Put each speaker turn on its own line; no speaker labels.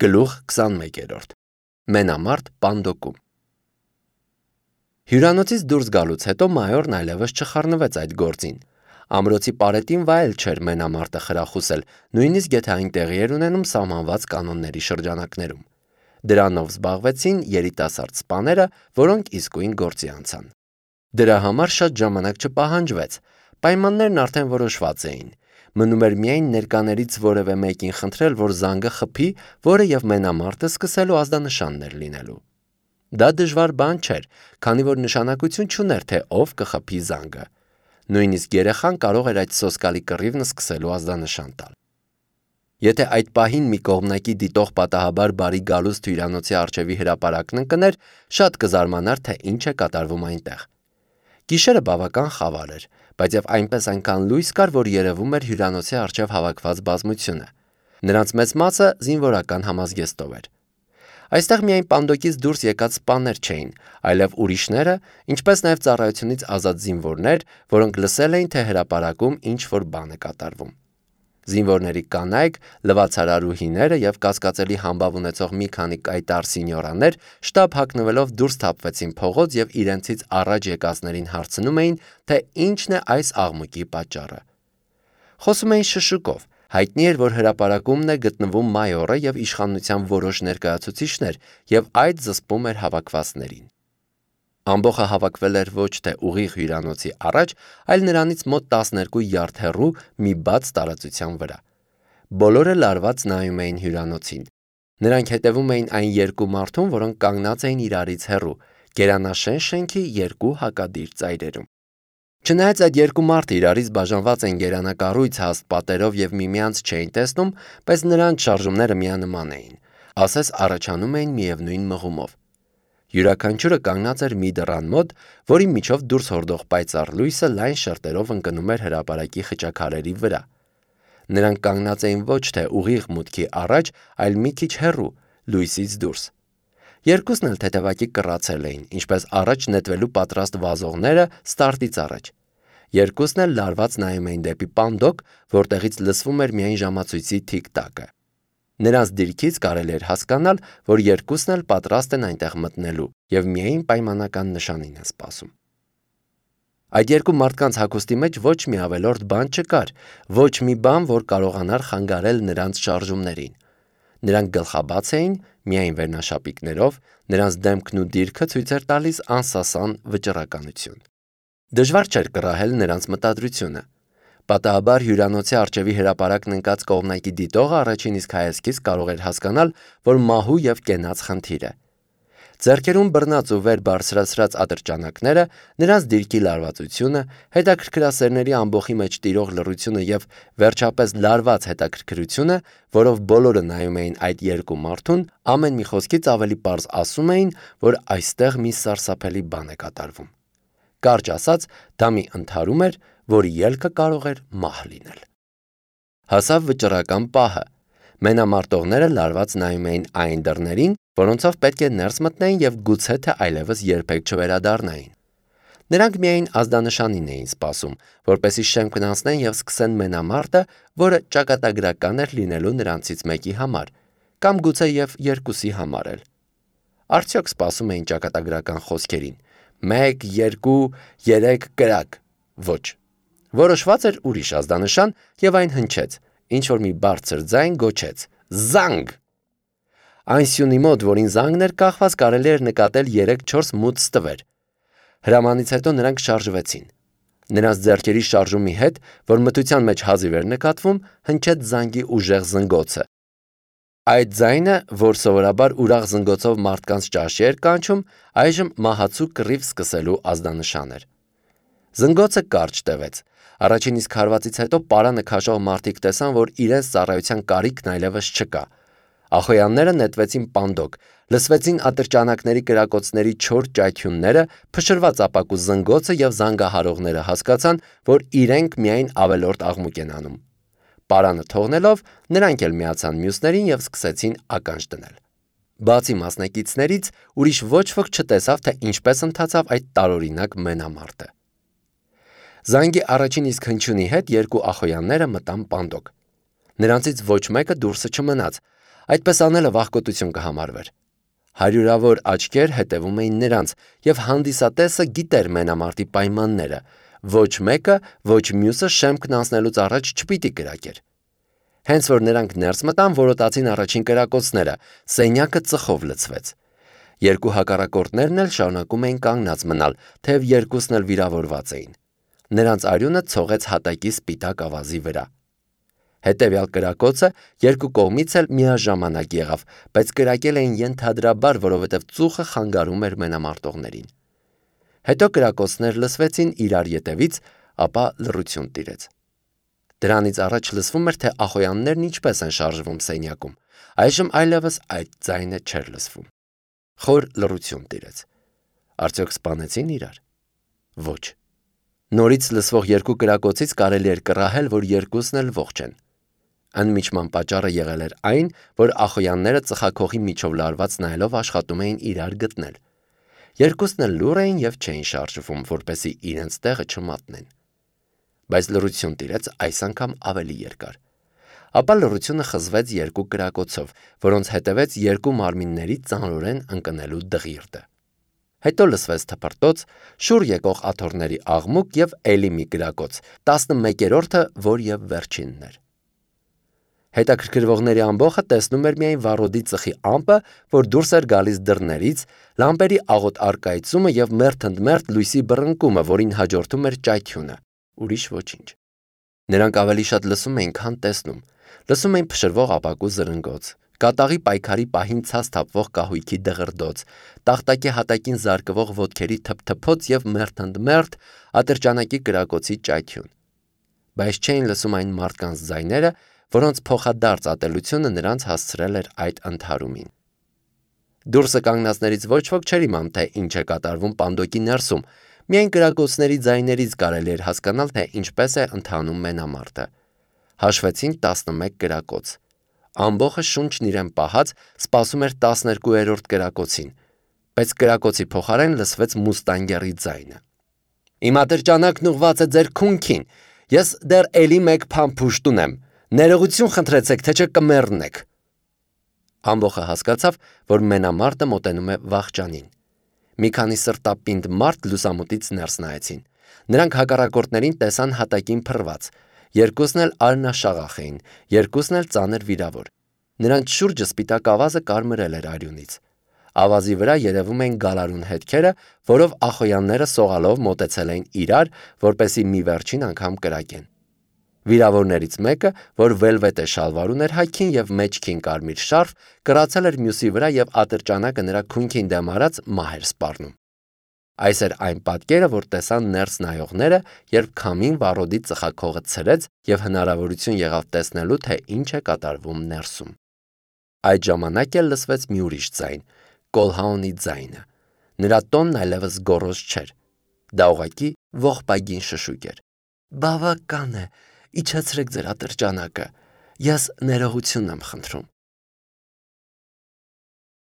Գլուխ 21 Մենամարտ պանդոկում Հյուրանոցից դուրս գալուց հետո մայորն այլևս չխառնվեց այդ գործին։ Ամրոցի պարետին վայել չէր մենամարտը խրախուսել, նույնիսկ եթե այն տեղի էր ունենում սահմանված կանոնների շրջանակներում։ Դրանով զբաղվեցին երիտասարդ սպաները, որոնք իսկույն գործի անցան։ Դրա համար շատ ժամանակ չպահանջվեց, պայմաններն արդեն որոշված էին։ Մնում էր միայն ներկաներից որևէ մեկին խնդրել, որ զանգը խփի, որը եւ մենամարտը սկսելու ազդանշաններ լինելու։ Դա դժվար բան չէր, քանի որ նշանակություն չուներ, թե ով կխփի զանգը։ Նույնիսկ երեխան կարող էր այդ սոսկալի կռիվն սկսելու ազդանշան տալ։ Եթե այդ պահին մի կողմնակի դիտող պատահաբար բարի գալուստ հյուրանոցի առջևի հրապարակն ընկներ, շատ կզարմանար, թե ինչ է կատարվում այնտեղ։ Գիշերը բավական խավար էր, բայց եւ այնպես այնքան լույս կար, որ երևում էր հյուրանոցի առջև հավաքված բազմությունը։ Նրանց մեծ մասը զինվորական համազգեստով էր։ Այստեղ միայն պանդոկից դուրս եկած սպաներ չէին, այլև ուրիշները, ինչպես նաև ծառայությունից ազատ զինվորներ, որոնք լսել էին, թե հրապարակում ինչ-որ բան է կատարվում։ Զինվորների կանայք, լվացարարուհիները եւ կասկածելի համբավ ունեցող մի քանի կայտար սինյորաներ շտապ հագնվելով դուրս թափվեցին փողոց եւ իրենցից առաջ եկածներին հարցնում էին, թե ինչն է այս աղմուկի պատճառը։ Խոսում էին շշուկով, հայտնի էր, որ հրապարակումն է գտնվում մայորը եւ իշխանության որոշ ներկայացուցիչներ եւ այդ զսպում էր հավաքվածներին։ Ամբողը հավաքվել էր ոչ թե ուղիղ հյուրանոցի առաջ, այլ նրանից մոտ 12 յարդ հեռու մի բաց տարածության վրա։ Բոլորը լարված նայում էին հյուրանոցին։ Նրանք հետևում էին այն երկու մարդուն, որոնք կանգնած էին իրարից հեռու, գերանաշեն շենքի երկու հակադիր ծայրերում։ Չնայած այդ երկու մարդը իրարից բաժանված են գերանակառույց հաստ պատերով եւ միմյանց չէին տեսնում, բայց նրանց շարժումները միանման էին, ասես առաջանում էին միևնույն մղումով։ Յուրաքանչյուրը կանգնած էր մի դռան մոտ, որի միջով դուրս հորդող պայծառ լույսը լայն շերտերով ընկնում էր հրապարակի խճաքարերի վրա։ Նրանք կանգնած էին ոչ թե ուղիղ մուտքի առաջ, այլ մի քիչ հեռու, լույսից դուրս։ Երկուսն էլ թեթևակի կռացել էին, ինչպես առաջ նետվելու պատրաստ վազողները ստարտից առաջ։ Երկուսն էլ լարված նայում էին դեպի պանդոկ, որտեղից լսվում էր միայն ժամացույցի թիկ-տակը։ Նրանց դիրքից կարելի էր հասկանալ, որ երկուսն էլ պատրաստ են այնտեղ մտնելու եւ միայն պայմանական նշանին են սպասում։ Այդ երկու մարդկանց հագուստի մեջ ոչ մի ավելորդ բան չկար, ոչ մի բան, որ կարողանար խանգարել նրանց շարժումներին։ Նրանք գլխաբաց էին, միայն վերնաշապիկներով, նրանց դեմքն ու դիրքը ցույց էր տալիս անսասան վճռականություն։ Դժվար չէր կռահել նրանց մտադրությունը։ Պատահաբար հյուրանոցի առջևի հրապարակն ընկած կողմնակի դիտողը առաջին իսկ հայացքից կարող էր հասկանալ, որ մահու եւ կենաց խնդիր է։ Ձեռքերում բռնած ու վեր բարձրացրած ատրճանակները, նրանց դիրքի լարվածությունը, հետաքրքրասերների ամբոխի մեջ տիրող լռությունը եւ վերջապես լարված հետաքրքրությունը, որով բոլորը նայում էին այդ երկու մարդուն, ամեն մի խոսքից ավելի պարզ ասում էին, որ այստեղ մի սարսափելի բան է կատարվում։ Կարճ ասած, դա մի ընդհարում էր, որի ելքը կարող էր մահ լինել։ Հասավ վճռական պահը։ Մենամարտողները լարված նայում էին այն դռներին, որոնցով պետք է ներս մտնեին եւ գուցե թե այլևս երբեք չվերադառնային։ Նրանք միայն ազդանշանին էին սպասում, որպեսզի շեմքն անցնեն եւ սկսեն մենամարտը, որը ճակատագրական էր լինելու նրանցից մեկի համար, կամ գուցե եւ երկուսի համար էլ։ Արդյոք սպասում էին ճակատագրական խոսքերին. 1, 2, 3 կրակ։ Ոչ։ Որոշված էր ուրիշ ազդանշան եւ այն հնչեց, ինչ որ մի բարձր ձայն գոչեց. «Զանգ»։ Այն սյունի մոտ, որին զանգն էր կախված, կարելի էր նկատել 3-4 մութ ստվեր։ Հրամանից հետո նրանք շարժվեցին։ Նրանց ձեռքերի շարժումի հետ, որ մթության մեջ հազիվ էր նկատվում, հնչեց զանգի ուժեղ զնգոցը։ Այդ ձայնը, որ սովորաբար ուրախ զնգոցով մարդկանց ճաշի էր կանչում, այժմ մահացու կռիվ սկսելու ազդանշան էր։ Զնգոցը կարճ տևեց։ Առաջին իսկ հարվածից հետո պարանը քաշող մարդիկ տեսան, որ իրենց ծառայության կարիքն այլևս չկա։ Ախոյանները նետվեցին պանդոկ, լսվեցին ատրճանակների կրակոցների չոր ճայթյունները, փշրված ապակու զնգոցը եւ զանգահարողները հասկացան, որ իրենք միայն ավելորդ աղմուկ են անում։ Պարանը թողնելով, նրանք էլ միացան մյուսներին եւ սկսեցին ականջ դնել։ Բացի մասնակիցներից, ուրիշ ոչ ոք չտեսավ, թե ինչպես ընթացավ այդ տարօրինակ մենամարտը։ Զանգի առաջին իսկ հնչյունի հետ երկու ախոյանները մտան պանդոկ։ Նրանցից ոչ մեկը դուրսը չմնաց։ Այդպես անելը վախկոտություն կհամարվեր։ Հարյուրավոր աչքեր հետևում էին նրանց, եւ հանդիսատեսը գիտեր մենամարտի պայմանները. ոչ մեկը, ոչ մյուսը շեմքն անցնելուց առաջ չպիտի կրակեր։ Հենց որ նրանք ներս մտան, որոտացին առաջին կրակոցները, սենյակը ծխով լցվեց։ Երկու հակառակորդներն էլ շարունակում էին կանգնած մնալ, թեև երկուսն էլ վիրավորված էին։ Նրանց արյունը ցողեց հատակի սպիտակ ավազի վրա։ Հետևյալ կրակոցը երկու կողմից էլ միաժամանակ եղավ, բայց կրակել էին ենթադրաբար, որովհետև ծուխը խանգարում էր մենամարտողներին։ Հետո կրակոցներ լսվեցին իրար ետևից, ապա լռություն տիրեց։ Դրանից առաջ լսվում էր, թե ախոյաններն ինչպես են շարժվում սենյակում։ Այժմ այլևս այդ ձայնը չէր լսվում։ Խոր լռություն տիրեց։ Արդյոք սպանեցին իրար։ Ոչ։ Նորից լսվող երկու կրակոցից կարելի էր կռահել, որ երկուսն էլ ողջ են։ Անմիջման պատճառը եղել էր այն, որ ախոյանները ծխախողի միջով լարված նայելով աշխատում էին իրար գտնել։ Երկուսն էլ լուռ էին եւ չէին շարժվում, որպեսզի իրենց տեղը չմատնեն։ Բայց լռություն տիրեց այս անգամ ավելի երկար։ Ապա լռությունը խզվեց երկու կրակոցով, որոնց հետևեց երկու մարմինների ծանրորեն ընկնելու դղիրդը։ Հետո լսվեց թփրտոց, շուռ եկող աթոռների աղմուկ եւ էլի մի կրակոց, 11-րդը, որ եւ վերջինն էր։ Հետաքրքրվողների ամբողջը տեսնում էր միայն վառոդի ծխի ամպը, որ դուրս էր գալիս դռներից, լամպերի աղոտ առկայծումը եւ մերթընդմերթ լույսի բռնկումը, որին հաջորդում էր ճայթյունը։ Ուրիշ ոչինչ։ Նրանք ավելի շատ լսում էին, քան տեսնում։ Լսում էին փշրվող ապակու զրնգոց, կատաղի պայքարի պահին ցած թափվող կահույքի դղրդոց, տախտակի հատակին զարկվող ոտքերի թփթփոց եւ մերթընդմերթ ատրճանակի կրակոցի ճայթյուն։ Բայց չէին լսում այն մարդկանց ձայները, որոնց փոխադարձ ատելությունը նրանց հասցրել էր այդ ընդհարումին։ Դուրսը կանգնածներից ոչ ոք չէր իմանում, թե ինչ է կատարվում պանդոկի ներսում, միայն կրակոցների ձայներից կարելի էր հասկանալ, թե ինչպես է ընթանում մենամարտը։ Հաշվեցին 11 կրակոց։ Ամբողջը շունչն իրեն պահած սպասում էր 12-րդ կրակոցին, բայց կրակոցի փոխարեն լսվեց մուստանգերի ձայնը։ Իմ ատրճանակն ուղված է ձեր քունքին, ես դեռ էլի մեկ փամփուշտ ունեմ, ներողություն խնդրեցեք, թե չէ կմեռնեք։ Ամբողջը հասկացավ, որ մենամարտը մոտենում է վախճանին։ Մի քանի սրտապինդ մարդ լուսամուտից ներս նայեցին։ Նրանք հակառակորդներին տեսան հատակին փռված։ Երկուսն էլ արնաշաղախ էին, երկուսն էլ ծանր վիրավոր։ Նրանց շուրջը սպիտակ ավազը կարմրել էր արյունից։ Ավազի վրա երևում էին գալարուն հետքերը, որով ախոյանները սողալով մոտեցել էին իրար, որպեսզի մի վերջին անգամ կրակեն։ Վիրավորներից մեկը, որ վելվետե շալվար ուներ հայքին եւ մեջքին կարմիր շարֆ, կրացել էր մյուսի վրա եւ ատրճանակը նրա քունքին դեմ արած մահ էր սպառնում։ Այս էր այն պատկերը, որ տեսան ներս նայողները, երբ քամին վառոդի ծխախողը ցրեց եւ հնարավորություն եղավ տեսնելու, թե ինչ է կատարվում ներսում։ Այդ ժամանակ էլ լսվեց մի ուրիշ ձայն, Կոլհաունի ձայնը։ Նրա տոնն այլևս գոռոզ չէր։ Դա ուղղակի ողբագին շշուկ էր։ Բավական է, իջեցրեք ձեր ատրճանակը, ես ներողություն եմ խնդրում։